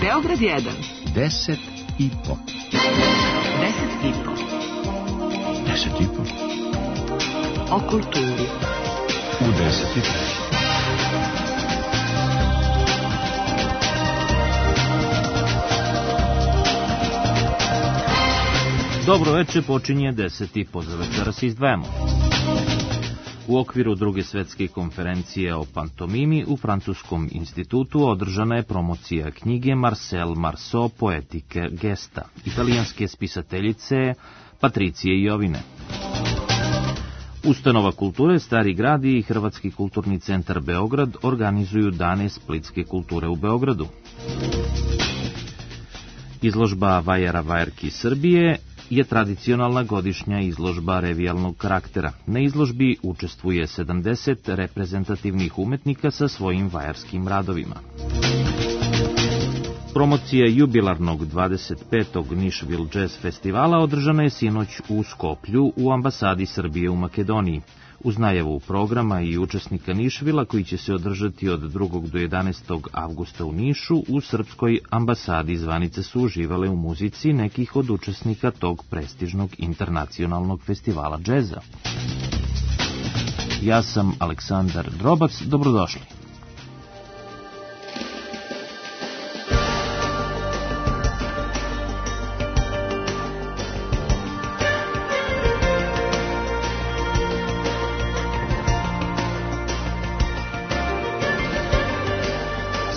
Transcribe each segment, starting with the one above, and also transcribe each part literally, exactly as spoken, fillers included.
Beograd jedan. Deset i po. Deset i po. Deset i po. O kulturi. U deset i po. Dobro večer, počinje deset i po. Za večera se izdvajamo. U okviru druge svetske konferencije o pantomimi u Francuskom institutu održana je promocija knjige Marcel Marceau Poetike gesta, italijanske spisateljice Patricije Jovine. Ustanova kulture Stari grad i Hrvatski kulturni centar Beograd organizuju dane splitske kulture u Beogradu. Izložba Vajera Vajerki Srbije je tradicionalna godišnja izložba revijalnog karaktera. Na izložbi učestvuje sedamdeset reprezentativnih umetnika sa svojim vajarskim radovima. Promocija jubilarnog dvadeset petog Nišvil Jazz festivala održana je sinoć u Skoplju u ambasadi Srbije u Makedoniji. Uz najavu programa i učesnika Nišvila koji će se održati od drugog do jedanaestog avgusta u Nišu, u srpskoj ambasadi zvanice su uživale u muzici nekih od učesnika tog prestižnog internacionalnog festivala džeza. Ja sam Aleksandar Drobac, dobrodošli.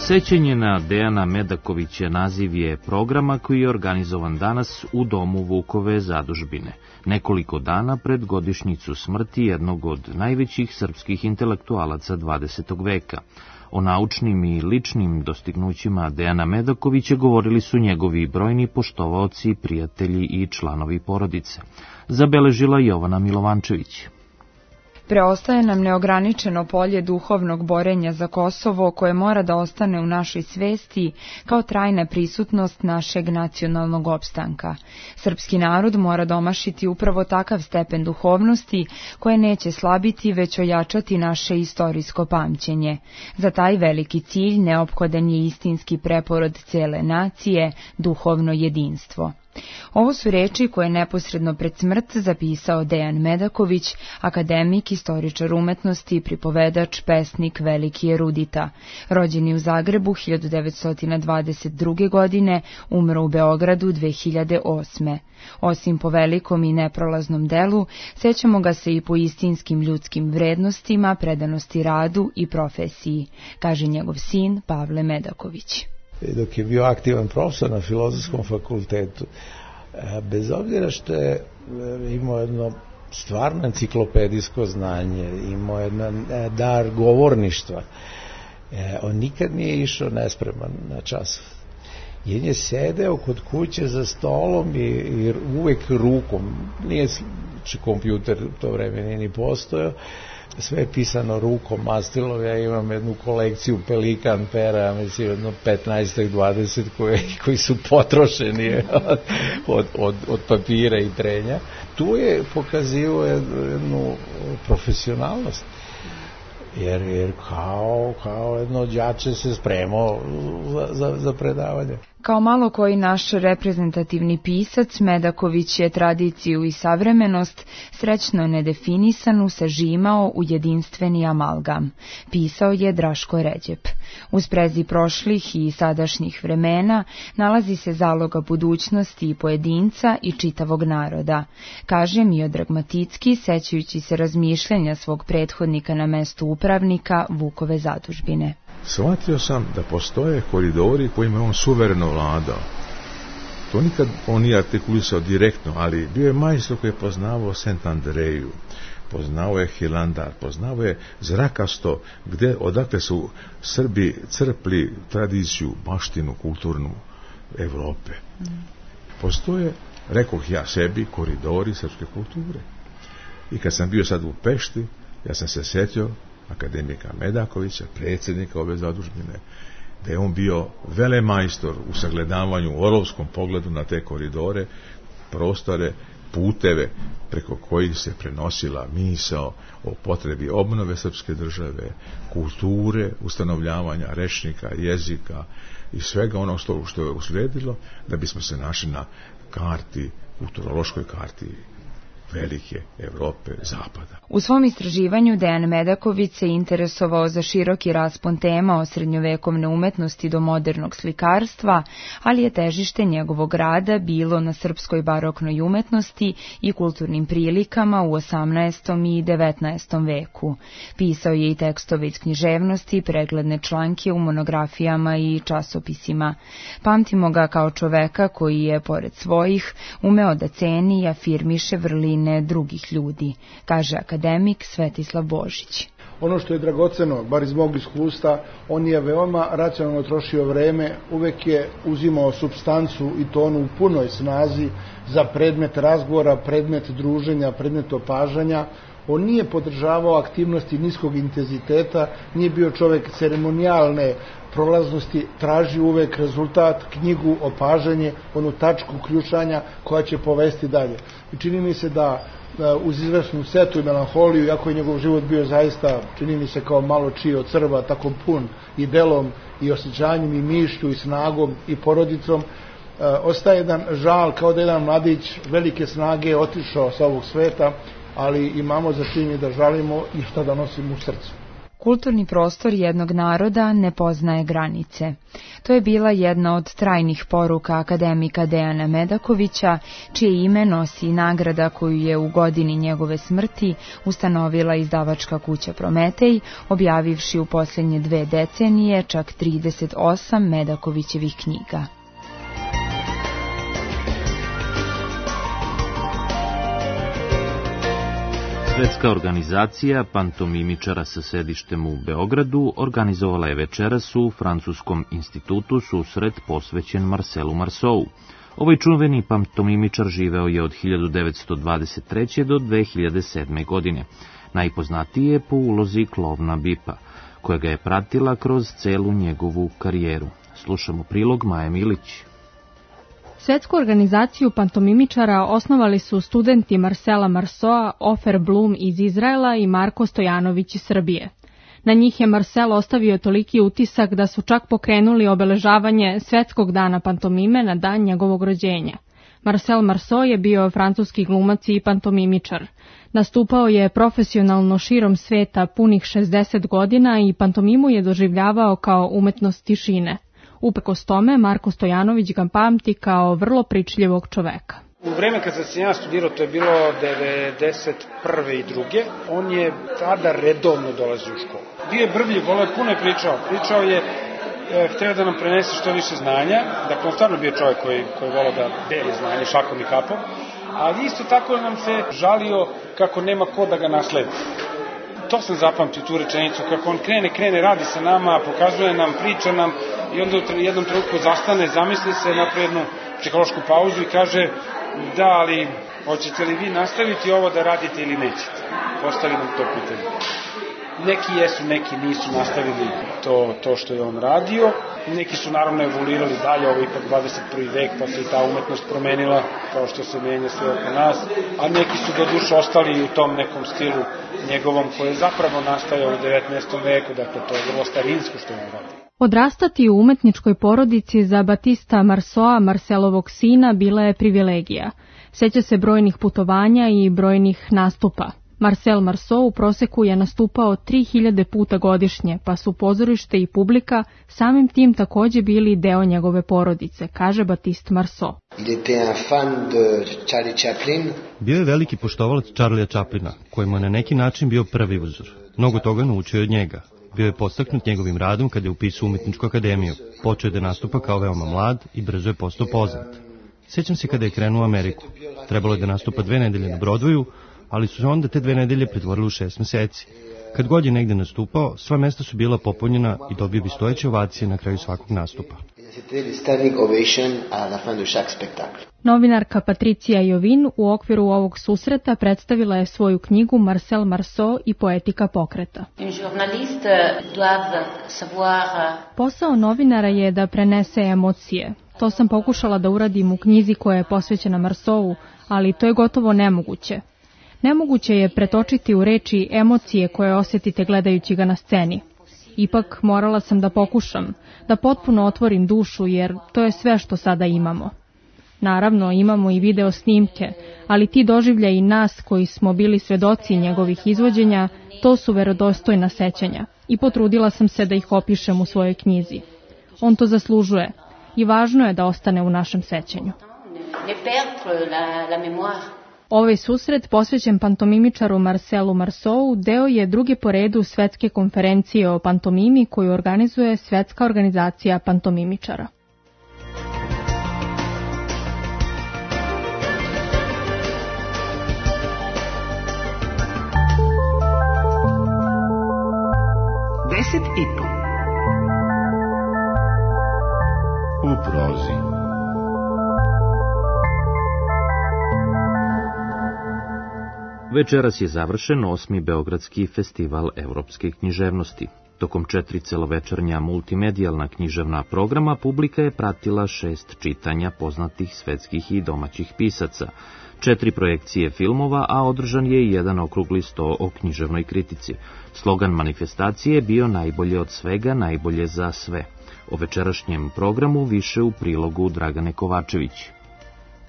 Sećanje na Dejana Medakovića naziv je programa koji je organizovan danas u domu Vukove zadužbine, nekoliko dana pred godišnjicu smrti jednog od najvećih srpskih intelektualaca dvadesetog veka. O naučnim i ličnim dostignućima Dejana Medakovića govorili su njegovi brojni poštovaoci, prijatelji i članovi porodice. Zabeležila Jovana Milovančević. Preostaje nam neograničeno polje duhovnog borenja za Kosovo koje mora da ostane u našoj svesti kao trajna prisutnost našeg nacionalnog opstanka. Srpski narod mora domašiti upravo takav stepen duhovnosti koje neće slabiti već ojačati naše istorijsko pamćenje. Za taj veliki cilj neophodan je istinski preporod cele nacije, duhovno jedinstvo. Ovo su reči koje je neposredno pred smrt zapisao Dejan Medaković, akademik, istoričar umetnosti, pripovedač, pesnik, veliki erudita. Rođeni u Zagrebu hiljadu devetsto dvadeset druge. godine, umro u Beogradu dve hiljade osme. Osim po velikom i neprolaznom delu, sećamo ga se i po istinskim ljudskim vrednostima, predanosti radu i profesiji, kaže njegov sin Pavle Medaković. Dok je bio aktivan profesor na Filozofskom fakultetu, bez obzira što je imao jedno stvarno enciklopedijsko znanje, imao jedan dar govorništva, on nikad nije išao nespreman na čas. Jer je sedeo kod kuće za stolom i, i uvek rukom, nije kompjuter u to vreme nije ni postojao, sve je pisano rukom, mastilom. Ja imam jednu kolekciju Pelikan pera, mislim jedno petnaest dvadeset koji, koji su potrošeni od, od, od papira i trenja. Tu je pokazivao jednu profesionalnost. Jer, jer kao, kao jedno đače se spremao za, za, za predavanje. Kao malo koji naš reprezentativni pisac, Medaković je tradiciju i savremenost srećno nedefinisanu sažimao u jedinstveni amalgam. Pisao je Draško Ređep. U sprezi prošlih i sadašnjih vremena nalazi se zaloga budućnosti i pojedinca i čitavog naroda, kaže Miodrag Maticki, sećajući se razmišljanja svog prethodnika na mestu upravnika Vukove zadužbine. Shvatio sam da postoje koridori kojima je on suvereno vladao. To nikad on nije artikulisao direktno, ali bio je majstor koji je poznavao Sent Andreju, poznao je Hilandar, poznao je zrakasto gde, odakle su Srbi crpli tradiciju, baštinu, kulturnu Evrope. Mm. Postoje, rekoh ja sebi, koridori srpske kulture. I kad sam bio sad u Pešti, ja sam se sjetio akademika Medakovića, predsjednika ove zadužbine, da je on bio velemajstor u sagledavanju, u orovskom pogledu na te koridore, prostore puteve preko kojih se prenosila misao o potrebi obnove srpske države, kulture, ustanovljavanja rečnika, jezika i svega onog što je usledilo, da bismo se našli na karti, kulturološkoj karti velike Evrope, Zapada. U svom istraživanju Dejan Medaković se interesovao za široki raspon tema od srednjovekovne umetnosti do modernog slikarstva, ali je težište njegovog rada bilo na srpskoj baroknoj umetnosti i kulturnim prilikama u osamnaestom i devetnaestom veku. Pisao je i tekstove iz književnosti, pregledne članke u monografijama i časopisima. Pamtimo ga kao čoveka koji je, pored svojih, umeo da ceni i afirmiše vrline drugih ljudi, kaže akademik Svetislav Božić. Ono što je dragoceno, bar iz mog iskustva, on je veoma racionalno trošio vreme, uvek je uzimao supstancu i to onu u punoj snazi za predmet razgovora, predmet druženja, predmet opažanja. On nije podržavao aktivnosti niskog intenziteta, nije bio čovek ceremonijalne prolaznosti, traži uvek rezultat, knjigu, opažanje, onu tačku ključanja koja će povesti dalje. I čini mi se da uz izvesnu setu i melanholiju, iako je njegov život bio zaista, čini mi se kao malo čiji od crva, tako pun i delom i osjećanjem i mišlju i snagom i porodicom, ostaje jedan žal kao da jedan mladić velike snage otišao sa ovog sveta, ali imamo za čini da žalimo i šta da nosimo u srcu. Kulturni prostor jednog naroda ne poznaje granice. To je bila jedna od trajnih poruka akademika Dejana Medakovića, čije ime nosi nagrada koju je u godini njegove smrti ustanovila izdavačka kuća Prometej, objavivši u posljednje dve decenije čak trideset osam Medakovićevih knjiga. Svetska organizacija pantomimičara sa sedištem u Beogradu organizovala je večeras u Francuskom institutu susret posvećen Marcelu Marceau. Ovaj čuveni pantomimičar živeo je od hiljadu devetsto dvadeset treće. do dve hiljade sedme. godine. Najpoznatiji je po ulozi klovna Bipa, koja ga je pratila kroz celu njegovu karijeru. Slušamo prilog Maje Milić. Svetsku organizaciju pantomimičara osnovali su studenti Marcela Marceaua, Ofer Blum iz Izraela i Marko Stojanović iz Srbije. Na njih je Marcel ostavio toliki utisak da su čak pokrenuli obeležavanje Svetskog dana pantomime na dan njegovog rođenja. Marcel Marceau je bio francuski glumac i pantomimičar. Nastupao je profesionalno širom sveta punih šezdeset godina i pantomimu je doživljavao kao umetnost tišine. Uprkos tome, Marko Stojanović ga pamti kao vrlo pričljivog čoveka. U vreme kad sam se ja studirao, to je bilo devedeset prve i druge. On je tada redovno dolazio u školu. Bio je brbljiv, voleo je, puno je pričao. Pričao je, e, hteo da nam prenese što više znanja. Dakle, on stvarno bio čovjek koji, koji voleo da deli znanje šakom i kapom. Ali isto tako nam se žalio kako nema ko da ga nasledi. To sam zapamtio, tu rečenicu, kako on krene, krene, radi sa nama, pokazuje nam, priča nam i onda u jednom trenutku zastane, zamisli se, napravi jednu psihološku pauzu i kaže da, ali hoćete li vi nastaviti ovo da radite ili nećete? Postavi nam to pitanje. Neki jesu, neki nisu nastavili to, to što je on radio. Neki su naravno evoluirali dalje, ovo je ipak dvadeset prvi vek, pa se i ta umetnost promenila, kao što se menja sve oko nas. A neki su do duše ostali u tom nekom stilu njegovom, koji je zapravo nastajao u devetnaestom veku, dakle to je vrlo starinsko što je on radio. Odrastati u umetničkoj porodici za Batista Marceaua, Marcelovog sina, bila je privilegija. Seća se brojnih putovanja i brojnih nastupa. Marcel Marceau u proseku je nastupao tri hiljade puta godišnje, pa su pozorište i publika samim tim takođe bili deo njegove porodice, kaže Batiste Marceau. Bio je veliki poštovalac Charlie'a Chaplina, kojemu je na neki način bio prvi uzor. Mnogo toga naučio od njega. Bio je podstaknut njegovim radom kada je upisao umetničku akademiju. Počeo je da nastupa kao veoma mlad i brzo je postao poznat. Sjećam se kada je krenuo u Ameriku. Trebalo je da nastupa dve nedelje na Broadwayu, ali su se onda te dve nedelje pretvorile u šest meseci. Kad god je negde nastupao, sva mesta su bila popunjena i dobio bi stojeće ovacije na kraju svakog nastupa. Novinarka Patricija Jovin u okviru ovog susreta predstavila je svoju knjigu Marcel Marceau i poetika pokreta. Posao novinara je da prenese emocije. To sam pokušala da uradim u knjizi koja je posvećena Marceau, ali to je gotovo nemoguće. Nemoguće je pretočiti u reči emocije koje osjetite gledajući ga na sceni. Ipak morala sam da pokušam, da potpuno otvorim dušu, jer to je sve što sada imamo. Naravno, imamo i video snimke, ali ti doživljaji nas koji smo bili svedoci njegovih izvođenja, to su verodostojna sećanja i potrudila sam se da ih opišem u svojoj knjizi. On to zaslužuje i važno je da ostane u našem sećanju. Ovaj susret, posvećen pantomimičaru Marcelu Marceau, deo je druge po redu svetske konferencije o pantomimi koju organizuje Svetska organizacija pantomimičara. Deset i po. U prozi. Večeras je završen osmi Beogradski festival evropske književnosti. Tokom četiri celovečernja multimedijalna književna programa publika je pratila šest čitanja poznatih svetskih i domaćih pisaca, četiri projekcije filmova, a održan je i jedan okrugli sto o književnoj kritici. Slogan manifestacije je bio najbolje od svega, najbolje za sve. O večerašnjem programu više u prilogu Dragane Kovačević.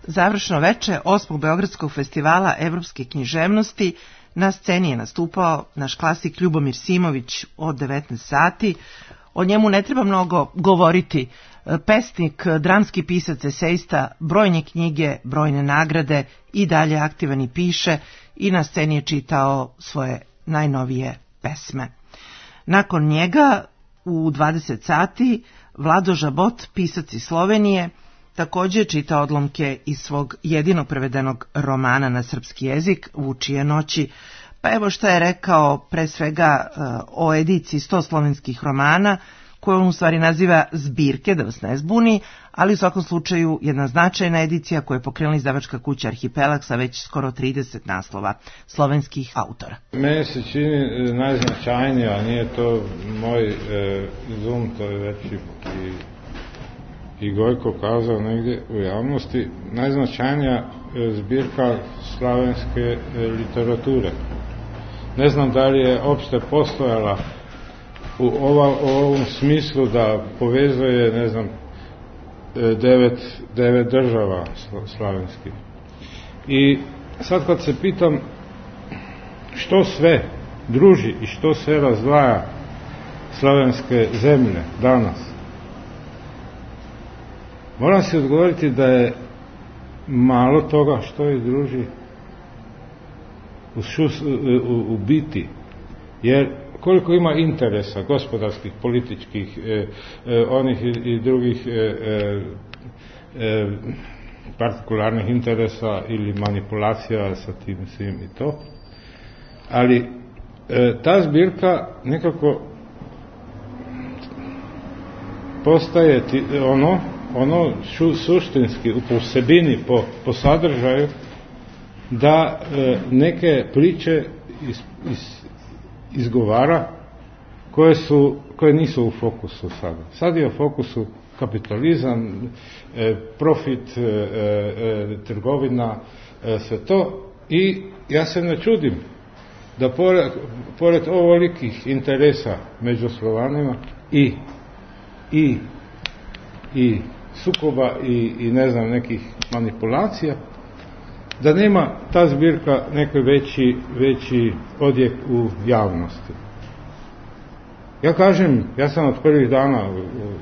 Završno veče osmog Beogradskog festivala evropske književnosti na sceni je nastupao naš klasik Ljubomir Simović od devetnaest sati. O njemu ne treba mnogo govoriti. Pesnik, dramski pisac, esejista, brojne knjige, brojne nagrade, i dalje aktivan i piše, i na sceni je čitao svoje najnovije pesme. Nakon njega u dvadeset sati Vlado Žabot, pisac iz Slovenije, također čita odlomke iz svog jedinog prevedenog romana na srpski jezik, Vučije noći. Pa evo šta je rekao pre svega o ediciji sto slovenskih romana, koju on u stvari naziva zbirke, da vas ne zbuni, ali u svakom slučaju jedna značajna edicija koju je pokrenula izdavačka kuća Arhipelag sa već skoro trideset naslova slovenskih autora. Meni se čini najznačajnija, nije to moj e, zum, to je već i, i Gojko kazao negdje u javnosti, najznačajnija e, zbirka slavenske e, literature. Ne znam da li je opšte postojala u, ova, u ovom smislu da povezuje, ne znam, devet, devet država slavenskih. I sad kad se pitam što sve druži i što sve razdvaja slavenske zemlje danas, moram se odgovoriti da je malo toga što ih druži u, šus, u, u biti, jer koliko ima interesa gospodarskih, političkih, e, e, onih i, i drugih e, e, partikularnih interesa ili manipulacija sa tim svim i to. Ali e, ta zbirka nekako postaje ti, ono, ono šu, suštinski, po sebini, po, po sadržaju, da e, neke priče iz, iz izgovara koje su, koje nisu u fokusu sada. Sad je u fokusu kapitalizam, e, profit, e, e, trgovina, e, sve to, i ja se ne čudim da pored, pored ovolikih interesa među Slovanima i i i sukoba i, i ne znam nekih manipulacija, da nema ta zbirka neki veći, veći odjek u javnosti. Ja kažem, ja sam od prvih dana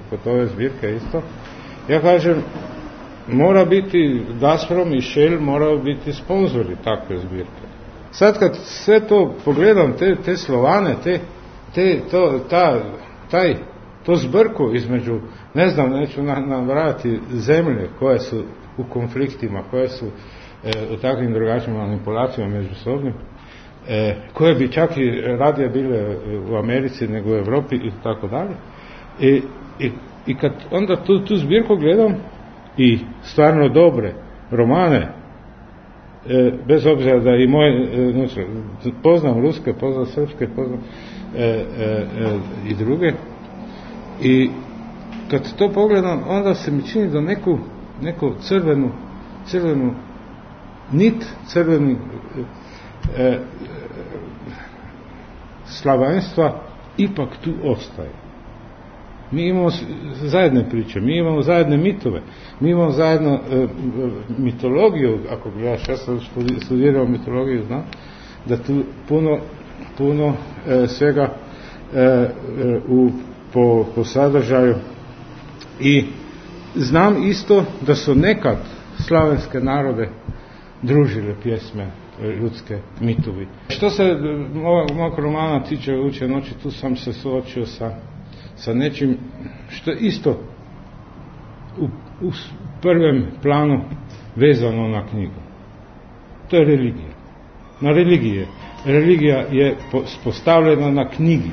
kod ove zbirke isto, ja kažem, mora biti Gazprom i Shell, moraju biti sponzori takve zbirke. Sad kad sve to pogledam, te, te Slovane, te, te, to, ta, taj, to zbrku između, ne znam, neću nabrajati zemlje koje su u konfliktima, koje su u takvim drugačijim manipulacijama međusobnim, e, koje bi čak i radije bile u Americi nego u Evropi i tako dalje. I, i, i kad onda tu, tu zbirku gledam i stvarno dobre romane, e, bez obzira da i moje, e, poznam ruske, poznam srpske, poznam e, e, e, i druge, i kad to pogledam, onda se mi čini da neku, neku crvenu, crvenu nit, crvenu e, e, slavenstva ipak tu ostaje. Mi imamo zajedne priče, mi imamo zajedne mitove, mi imamo zajedno e, mitologiju, ako bi ja ja sam studirao mitologiju, znam, da tu puno, puno e, svega e, e, u, po, po sadržaju. I znam isto da su nekad slavenske narode družile pjesme ljudske, mitovi. Što se mog romana tiče Uče noći, tu sam se suočio sa, sa nečim što je isto u, u prvem planu vezano na knjigu. To je religija. Na religije. Religija je postavljena na knjigi.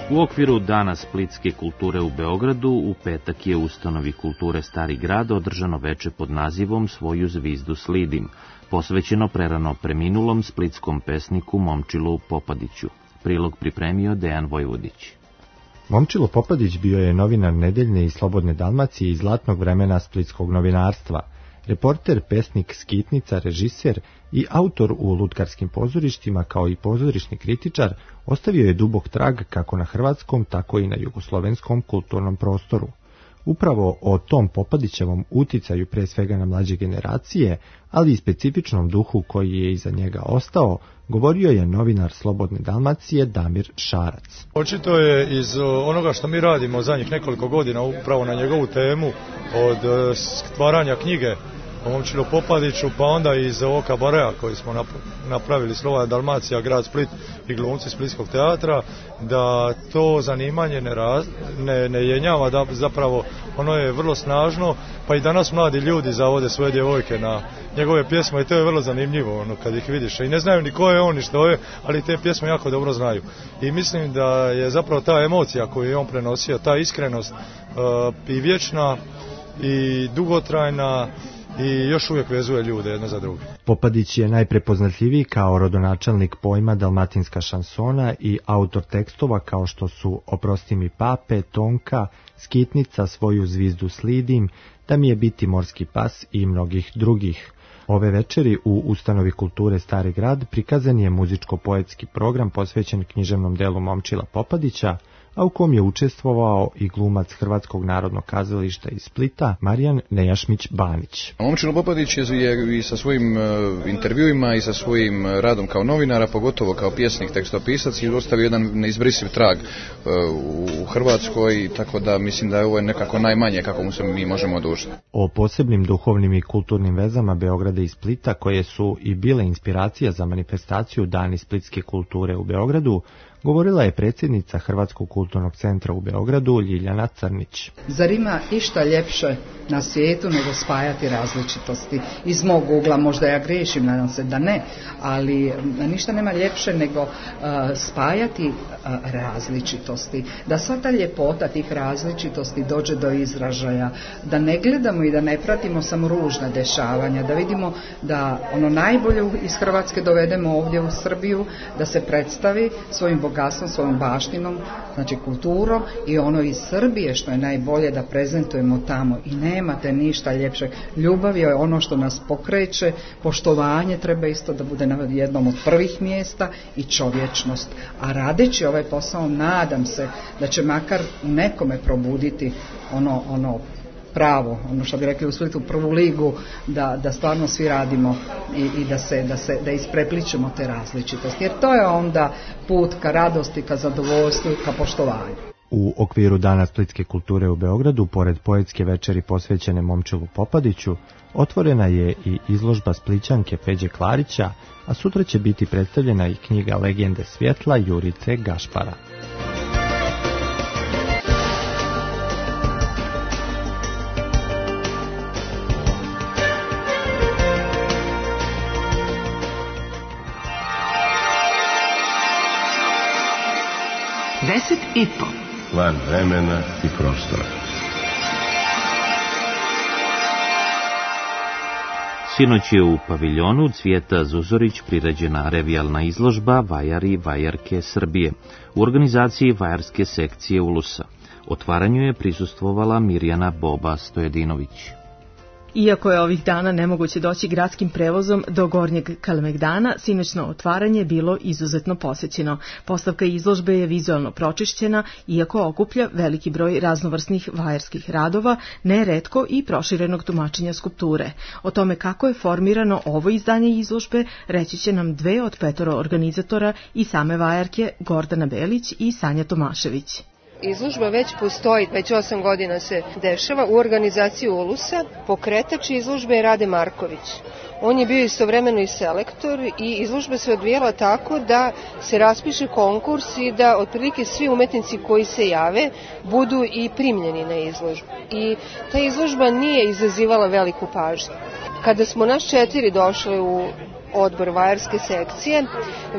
U okviru Dana splitske kulture u Beogradu u petak je u ustanovi kulture Stari grad održano veče pod nazivom Svoju zvizdu slidim, posvećeno prerano preminulom splitskom pesniku Momčilu Popadiću. Prilog pripremio Dejan Vojvodić. Momčilo Popadić bio je novinar Nedeljne i Slobodne Dalmacije iz zlatnog vremena splitskog novinarstva, reporter, pesnik, skitnica, režiser i autor u lutkarskim pozorištima, kao i pozorišni kritičar, ostavio je dubok trag kako na hrvatskom, tako i na jugoslovenskom kulturnom prostoru. Upravo o tom Popadićevom uticaju pre svega na mlađe generacije, ali i specifičnom duhu koji je iza njega ostao, govorio je novinar Slobodne Dalmacije Damir Šarac. Očito je iz onoga što mi radimo zadnjih nekoliko godina upravo na njegovu temu, od stvaranja knjige o Momčilu Popadiću, pa onda iz ovog kabareja koji smo napravili Slobodna Dalmacija, grad Split i glumci Splitskog teatra, da to zanimanje ne, raz, ne, ne jenjava, da zapravo ono je vrlo snažno, pa i danas mladi ljudi zavode svoje djevojke na njegove pjesme i to je vrlo zanimljivo ono, kad ih vidiš. I ne znaju ni ko je on ni što je, ali te pjesme jako dobro znaju. I mislim da je zapravo ta emocija koju je on prenosio, ta iskrenost uh, i vječna i dugotrajna, i još uvijek vezuje ljude jedno za druge. Popadić je najprepoznatljiviji kao rodonačelnik pojma dalmatinska šansona i autor tekstova kao što su Oprosti mi pape, Tonka, Skitnica, Svoju zvizdu slidim, Da mi je biti morski pas i mnogih drugih. Ove večeri u ustanovi kulture Stari grad prikazan je muzičko-poetski program posvećen književnom delu Momčila Popadića, a u kom je učestvovao i glumac Hrvatskog narodnog kazališta iz Splita Marijan Nejašmić-Banić. Momčilo Popadić je i sa svojim intervjuima i sa svojim radom kao novinara, pogotovo kao pjesnik, tekstopisac, i ostavio jedan neizbrisiv trag u Hrvatskoj, tako da mislim da je ovo nekako najmanje kako mu se mi možemo odužiti. O posebnim duhovnim i kulturnim vezama Beograda i Splita, koje su i bile inspiracija za manifestaciju Dani splitske kulture u Beogradu, govorila je predsjednica Hrvatskog kulturnog centra u Beogradu Ljiljana Crnić. Zar ima išta ljepše na svijetu nego spajati različitosti? Iz mog ugla, možda ja griješim, nadam se da ne, ali ništa nema ljepše nego uh, spajati uh, različitosti. Da sva ta ljepota tih različitosti dođe do izražaja, da ne gledamo i da ne pratimo samo ružna dešavanja, da vidimo da ono najbolje iz Hrvatske dovedemo ovdje u Srbiju, da se predstavi svojim bogatstvom, svojom baštinom, znači kulturom, i ono iz Srbije što je najbolje da prezentujemo tamo. I nemate ništa ljepše. Ljubav je ono što nas pokreće, poštovanje treba isto da bude na jednom od prvih mjesta i čovječnost. A radeći ovaj posao, nadam se da će makar nekome probuditi ono, ono pravo, ono što bi rekli u Splitu, prvu ligu, da, da stvarno svi radimo i, i da se, da se, da isprepličemo te različitosti. Jer to je onda put ka radosti, ka zadovoljstvu, ka poštovanju. U okviru Dana splitske kulture u Beogradu, pored poetske večeri posvećene Momčilu Popadiću, otvorena je i izložba Splićanke Peđe Klarića, a sutra će biti predstavljena i knjiga Legende svjetla Jurice Gašpara. Deset i po. Van vremena i prostora. Sinoć je u paviljonu Cvijeta Zuzorić priređena revijalna izložba Vajar i vajarke Srbije u organizaciji Vajarske sekcije Ulusa. Otvaranju je prisustvovala Mirjana Boba Stojedinović. Iako je ovih dana nemoguće doći gradskim prevozom do Gornjeg Kalemegdana, sinoćno otvaranje je bilo izuzetno posećeno. Postavka izložbe je vizualno pročišćena, iako okuplja veliki broj raznovrsnih vajarskih radova, neretko i proširenog tumačenja skulpture. O tome kako je formirano ovo izdanje izložbe reći će nam dve od petoro organizatora i same vajarke, Gordana Belić i Sanja Tomašević. Izložba već postoji, već osam godina se dešava u organizaciji Ulusa. Pokretač izložbe je Rade Marković. On je bio istovremeno i selektor i izložba se odvijela tako da se raspiše konkurs i da otprilike svi umetnici koji se jave budu i primljeni na izložbu. I ta izložba nije izazivala veliku pažnju. Kada smo nas četiri došli u odbor vajarske sekcije,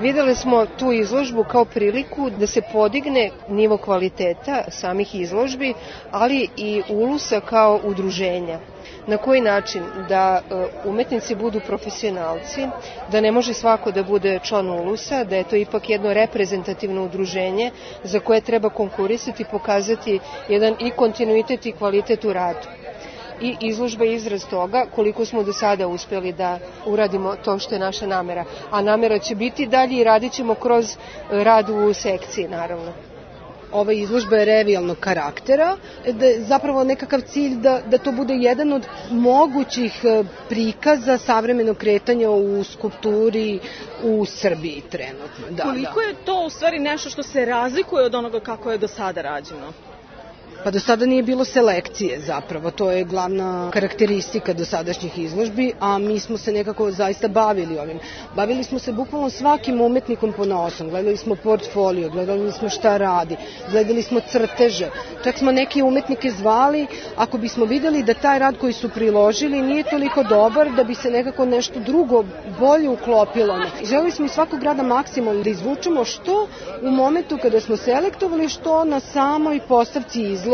videli smo tu izložbu kao priliku da se podigne nivo kvaliteta samih izložbi, ali i Ulusa kao udruženja. Na koji način? Da umetnici budu profesionalci, da ne može svako da bude član Ulusa, da je to ipak jedno reprezentativno udruženje za koje treba konkurisati, pokazati jedan i kontinuitet i kvalitet u radu. I izložba je izraz toga koliko smo do sada uspjeli da uradimo to što je naša namera. A namera će biti dalje i radit ćemo kroz rad u sekciji, naravno. Ova izložba je revijalnog karaktera, da je zapravo nekakav cilj da, da to bude jedan od mogućih prikaza savremenog kretanja u skulpturi u Srbiji trenutno. Da, Koliko da. je to u stvari nešto što se razlikuje od onoga kako je do sada rađeno? Pa do sada nije bilo selekcije zapravo, to je glavna karakteristika dosadašnjih izložbi, a mi smo se nekako zaista bavili ovim. Bavili smo se bukvalno svakim umetnikom ponaosob, gledali smo portfolio, gledali smo šta radi, gledali smo crteže, čak smo neke umetnike zvali ako bismo videli da taj rad koji su priložili nije toliko dobar da bi se nekako nešto drugo bolje uklopilo. Želeli smo iz svakog rada maksimalno da izvučemo što u momentu kada smo selektovali, što na samoj postavci izložbe.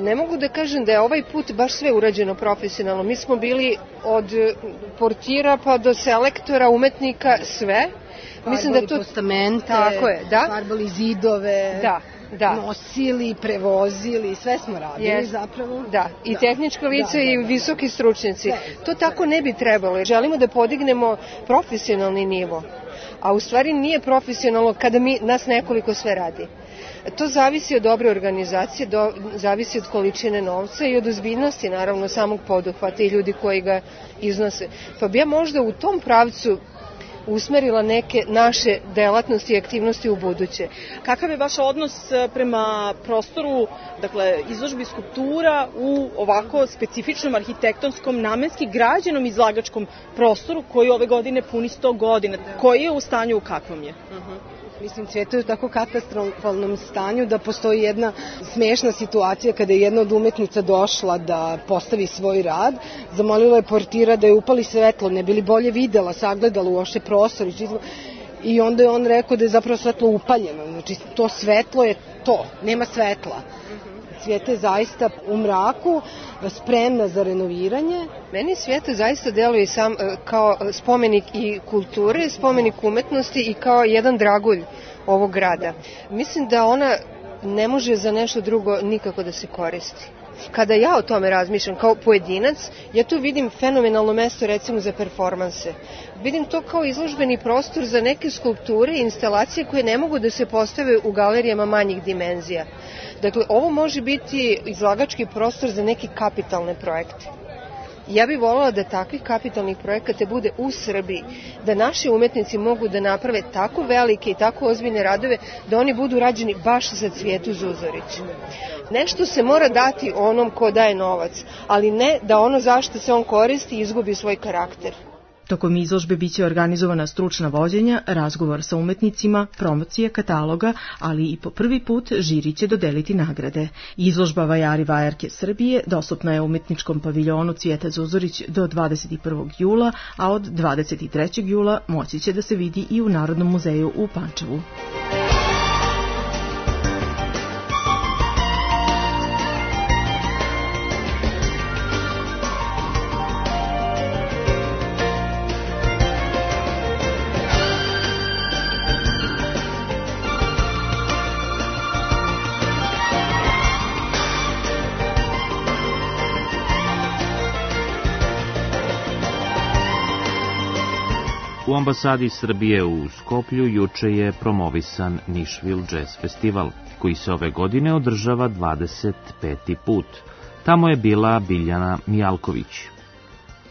Ne mogu da kažem da je ovaj put baš sve urađeno profesionalno. Mi smo bili od portira pa do selektora, umetnika, sve. Mislim da to postamente, tako je, da? Farbali zidove, da, da. nosili, prevozili, sve smo radili yes. zapravo. Da, i da. tehnička lica da, i da. visoki stručnjaci. Da. To tako ne bi trebalo. Želimo da podignemo profesionalni nivo. A u stvari nije profesionalno kada mi, nas nekoliko sve radi. To zavisi od dobre organizacije, do, zavisi od količine novca i od ozbiljnosti, naravno, samog poduhvata i ljudi koji ga iznose. Pa bi ja možda u tom pravcu usmerila neke naše delatnosti i aktivnosti u buduće. Kakav je vaš odnos prema prostoru, dakle, izložbi skulptura u ovako specifičnom arhitektonskom, namenski građenom izlagačkom prostoru koji ove godine puni sto godina? Koji je u stanju, u kakvom je? Uh-huh. Mislim, Cveta je u tako katastrofalnom stanju da postoji jedna smešna situacija kada je jedna od umetnica došla da postavi svoj rad, zamolila je portira da je upali svetlo, ne bi li bolje videla, sagledala uopšte prostor i onda je on rekao da je zapravo svetlo upaljeno, znači to svetlo je to, nema svetla. Cveta je zaista u mraku, spremna za renoviranje. Meni Cveta zaista deluje sam kao spomenik i kulture, spomenik umetnosti i kao jedan dragulj ovog grada. Mislim da ona ne može za nešto drugo nikako da se koristi. Kada ja o tome razmišljam kao pojedinac, ja tu vidim fenomenalno mesto recimo za performanse. Vidim to kao izložbeni prostor za neke skulpture i instalacije koje ne mogu da se postave u galerijama manjih dimenzija. Dakle, ovo može biti izlagački prostor za neke kapitalne projekte. Ja bih voljela da takvih kapitalnih projekata bude u Srbiji, da naši umetnici mogu da naprave tako velike i tako ozbiljne radove da oni budu rađeni baš za Cvijetu Zuzorić. Nešto se mora dati onom ko daje novac, ali ne da ono zašto se on koristi izgubi svoj karakter. Tokom izložbe biće organizovana stručna vođenja, razgovor sa umetnicima, promocije kataloga, ali i po prvi put žiri će dodeliti nagrade. Izložba Vajari Vajarke Srbije dostupna je u umetničkom paviljonu Cvijeta Zuzorić do dvadeset prvog jula, a od dvadeset trećeg jula moći će da se vidi i u Narodnom muzeju u Pančevu. U ambasadi Srbije u Skoplju juče je promovisan Nashville Jazz Festival, koji se ove godine održava dvadeset peti put. Tamo je bila Biljana Mijalković.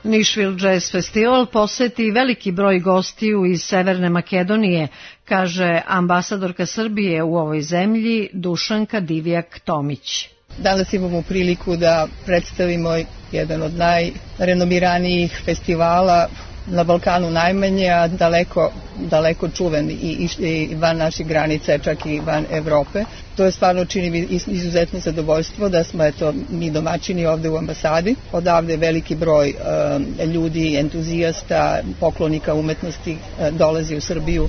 Nashville Jazz Festival poseti veliki broj gostiju iz Severne Makedonije, kaže ambasadorka Srbije u ovoj zemlji Dušanka Divjak-Tomić. Danas imamo priliku da predstavimo jedan od najrenomiranijih festivala na Balkanu najmanje, a daleko, daleko čuven i, i, i van naših granica, čak i van Evrope. To je stvarno čini mi izuzetno zadovoljstvo da smo eto, mi domaćini ovde u ambasadi. Odavde veliki broj e, ljudi, entuzijasta, poklonika umetnosti e, dolazi u Srbiju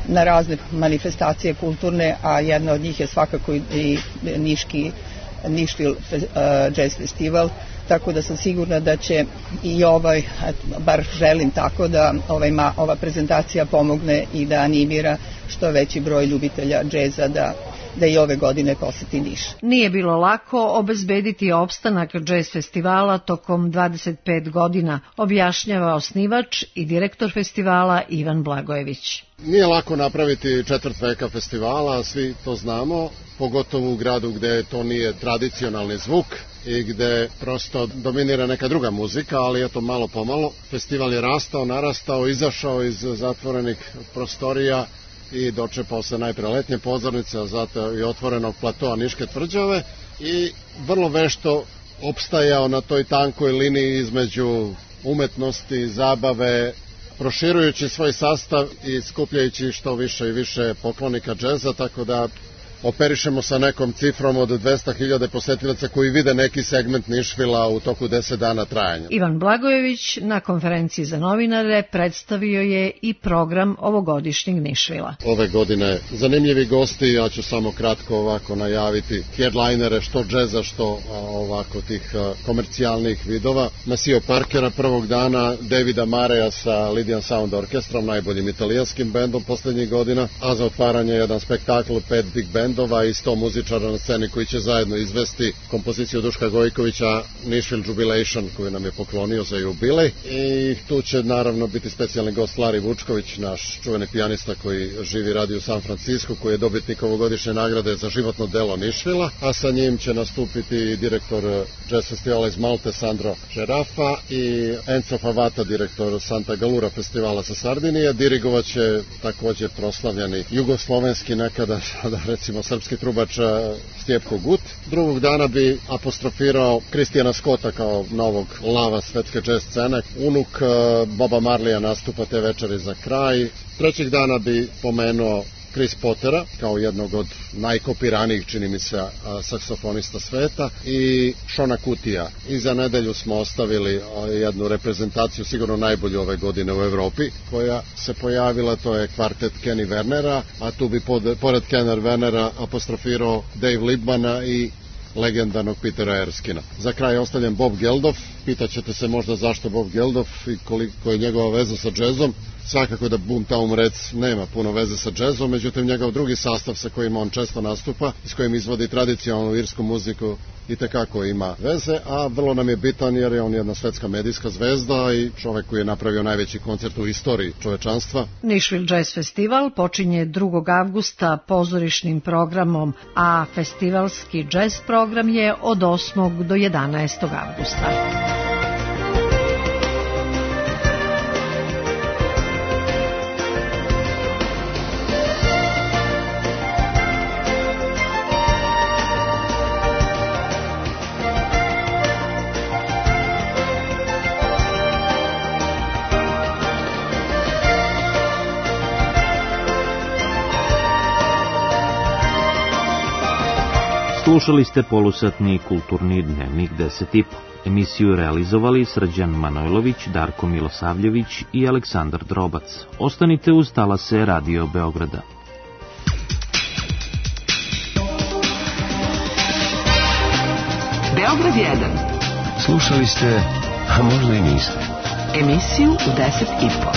na razne manifestacije kulturne, a jedna od njih je svakako i Niški Nashville uh, Jazz Festival, tako da sam sigurna da će i ovaj, bar želim tako da ovaj, ma, ova prezentacija pomogne i da animira što veći broj ljubitelja džeza da da i ove godine poseti Niš. Nije bilo lako obezbediti opstanak džez festivala tokom dvadeset pet godina, objašnjava osnivač i direktor festivala Ivan Blagojević. Nije lako napraviti četvrt veka festivala, svi to znamo, pogotovo u gradu gde to nije tradicionalni zvuk i gde prosto dominira neka druga muzika, ali eto malo pomalo. Festival je rastao, narastao, izašao iz zatvorenih prostorija i dočepao se najpre letnje pozornice, a zato i otvorenog platoa Niške tvrđave i vrlo vešto opstajao na toj tankoj liniji između umetnosti, zabave, proširujući svoj sastav i skupljajući što više i više poklonika džeza, tako da operišemo sa nekom cifrom od dvesta hiljada posetilaca koji vide neki segment Nišvila u toku deset dana trajanja. Ivan Blagojević na konferenciji za novinare predstavio je i program ovogodišnjeg Nišvila. Ove godine zanimljivi gosti, ja ću samo kratko ovako najaviti headlinere što džeza, što ovako tih komercijalnih vidova. Maceo Parkera prvog dana, Davida Mareja sa Lydian Sound Orkestrom, najboljim italijanskim bendom poslednjih godina, a za otvaranje jedan spektakl, pet big band i sto muzičara na sceni koji će zajedno izvesti kompoziciju Duška Gojkovića Nashville Jubilation koju nam je poklonio za jubilej i tu će naravno biti specijalni gost Larry Vučković, naš čuveni pijanista koji živi i radi u San Francisco, koji je dobitnik ovogodišnje nagrade za životno delo Nashvilla, a sa njim će nastupiti direktor Jazz Festivala iz Malte Sandro Žerafa i Enzo Favata, direktor Santa Galura festivala sa Sardinije. Dirigovat će također proslavljeni jugoslovenski nekada, sada recimo srpski trubač Stjepko Gut. Drugog dana bi apostrofirao Kristijana Scotta kao novog lava svetske jazz scene. Unuk Boba Marleya nastupa te večeri za kraj. Trećeg dana bi pomenuo Chris Pottera kao jednog od najkopiranijih, čini mi se, saksofonista sveta i Shona Kutija. I za nedelju smo ostavili jednu reprezentaciju, sigurno najbolju ove godine u Evropi, koja se pojavila, to je kvartet Kenny Wernera, a tu bi pod, pored Kenner Wernera apostrofirao Dave Liebmana i legendarnog Petera Erskina. Za kraj ostavljam Bob Geldof. Pitaćete se možda zašto Bob Geldof i koliko je njegova veza sa džezom. Svakako da Boomtown Reds nema puno veze sa džezom, međutim njegov drugi sastav sa kojim on često nastupa i s kojim izvodi tradicionalnu irsku muziku i tekako ima veze, a vrlo nam je bitan jer je on jedna svetska medijska zvezda i čovek koji je napravio najveći koncert u istoriji čovečanstva. Nashville Jazz Festival počinje drugog avgusta pozorišnim programom, a festivalski jazz program je od osmog do jedanaestog avgusta. Slušali ste polusatni kulturni dnevnik deset i po. Emisiju realizovali Srđan Manojlović, Darko Milosavljević i Aleksandar Drobac. Ostanite uz talase Radio Beograda. Beograd jedan. Slušali ste, a možda i niste. Emisiju u deset i po.